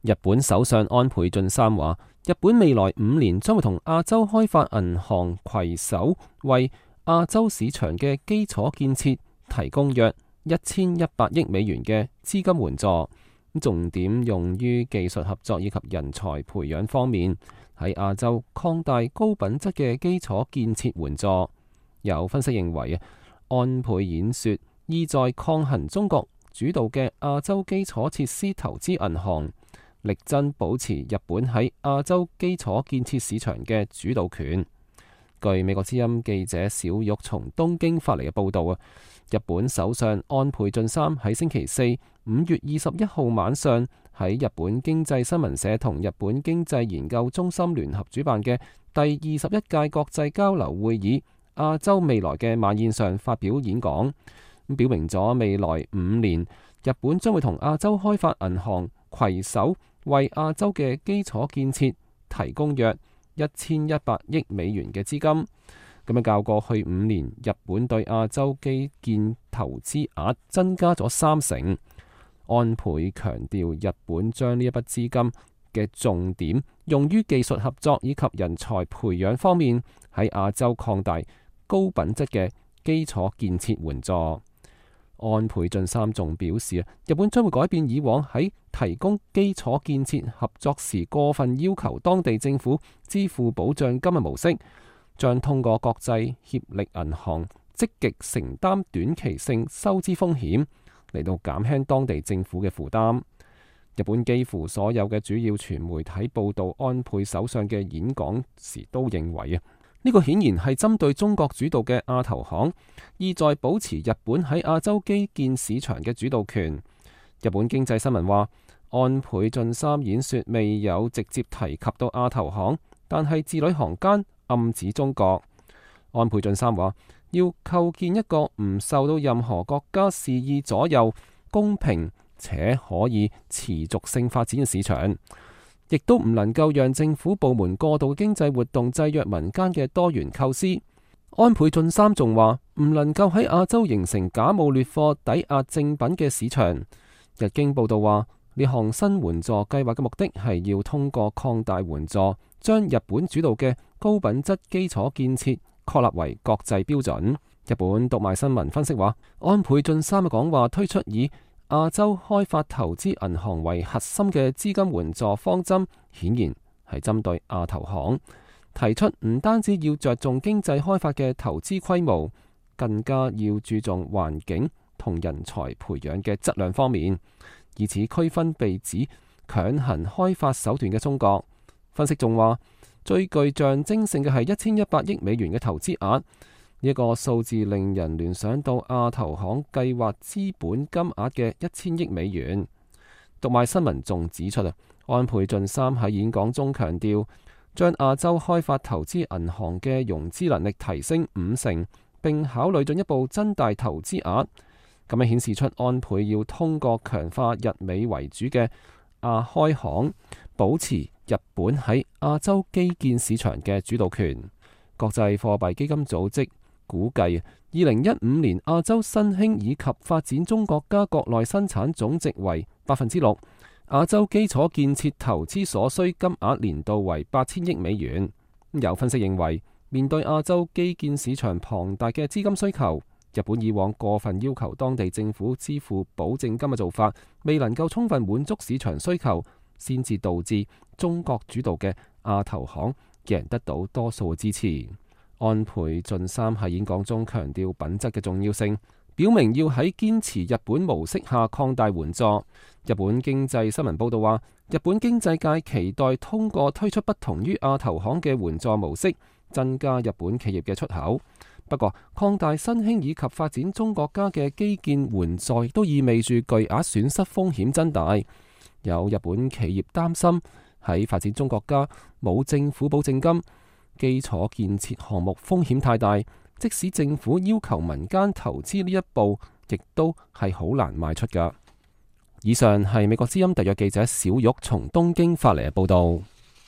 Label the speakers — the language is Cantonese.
Speaker 1: 日本首相安倍晉三話，日本未來5年將會同亞洲開發銀行攜手，為亞洲市場嘅基礎建設提供約1100億美元嘅資金援助，重點用於技術合作以及人才培養方面，喺亞洲擴大高品質嘅基礎建設援助。有分析認為，安倍演說意在抗衡中國主導嘅亞洲基礎設施投資銀行，力爭保持日本喺亞洲基礎建設市場嘅主導權。據美國之音記者小玉從東京發嚟嘅報道，日本首相安倍晉三喺星期四5月21號晚上喺日本經濟新聞社同日本經濟研究中心聯合主辦嘅第21屆國際交流會議亞洲未來嘅晚宴上發表演講，表明咗未來5年日本將會同亞洲開發銀行攜手，為亞洲嘅基礎建設提供約1100億美元嘅資金，咁樣較過去5年日本對亞洲基建投資額增加咗30%。安倍強調，日本將呢一筆資金嘅重點用於技術合作以及人才培養方面，喺亞洲擴大高品質嘅基礎建設援助。安倍晉三仲表示，日本將會改變以往喺提供基礎建設合作時過分要求當地政府支付保障金嘅模式，將通過國際協力銀行積極承擔短期性收支風險，嚟到減輕當地政府嘅負擔。日本幾乎所有嘅主要傳媒體報道安倍首相嘅演講時都認為，呢個顯然係針對中國主導嘅亞投行，意在保持日本喺亞洲基建市場嘅主導權。日本經濟新聞話，安倍晉三演說未有直接提及到亞投行，但係字裏行間暗指中國。安倍晉三話，要構建一個唔受到任何國家肆意左右、公平且可以持續性發展嘅市場，亦都唔能夠讓政府部門過度經濟活動制約民間嘅多元構思。安倍晉三仲話，唔能夠喺亞洲形成假冒劣貨抵押正品嘅市場。日經報道話，呢項新援助計劃嘅目的係要通過擴大援助，將日本主導嘅高品質基礎建設確立為國際標準。日本讀賣新聞分析話，安倍晉三嘅講話推出以亞洲開發投資銀行為核心嘅資金援助方針，顯然係針對亞投行，提出唔單止要着重經濟開發嘅投資規模，更加要注重環境同人才培養嘅質量方面，以此區分被指強行開發手段嘅中國。分析仲話，最具象徵性嘅係1100億美元嘅投資額。呢一個數字令人聯想到亞投行計劃資本金額嘅1000億美元。讀賣新聞仲指出，安倍晉三喺演講中強調，將亞洲開發投資銀行嘅融資能力提升50%，並考慮進一步增大投資額。咁樣顯示出安倍要通過強化日美為主嘅亞開行，保持日本喺亞洲基建市場嘅主導權。國際貨幣基金組織估計，2015年亞洲新興以及發展中國家國內生產總值為6%，亞洲基礎建設投資所需金額年度為8000億美元。有分析認為，面對亞洲基建市場龐大嘅資金需求，日本以往過分要求當地政府支付保證金嘅做法，未能夠充分滿足市場需求，先至導致中國主導嘅亞投行贏得到多數嘅支持。安倍晉三喺演講中強調品質嘅重要性，表明要喺堅持日本模式下擴大援助。日本經濟新聞報道話，日本經濟界期待通過推出不同於亞投行嘅援助模式，增加日本企業嘅出口。不過，擴大新興以及發展中國家嘅基建援助，亦都意味住巨額損失風險增大。有日本企業擔心喺發展中國家冇政府保證金，基礎建設項目風險太大，即使政府要求民間投資呢一步，亦都係好難邁出㗎。以上係美國之音特約記者小玉從東京發嚟嘅報道。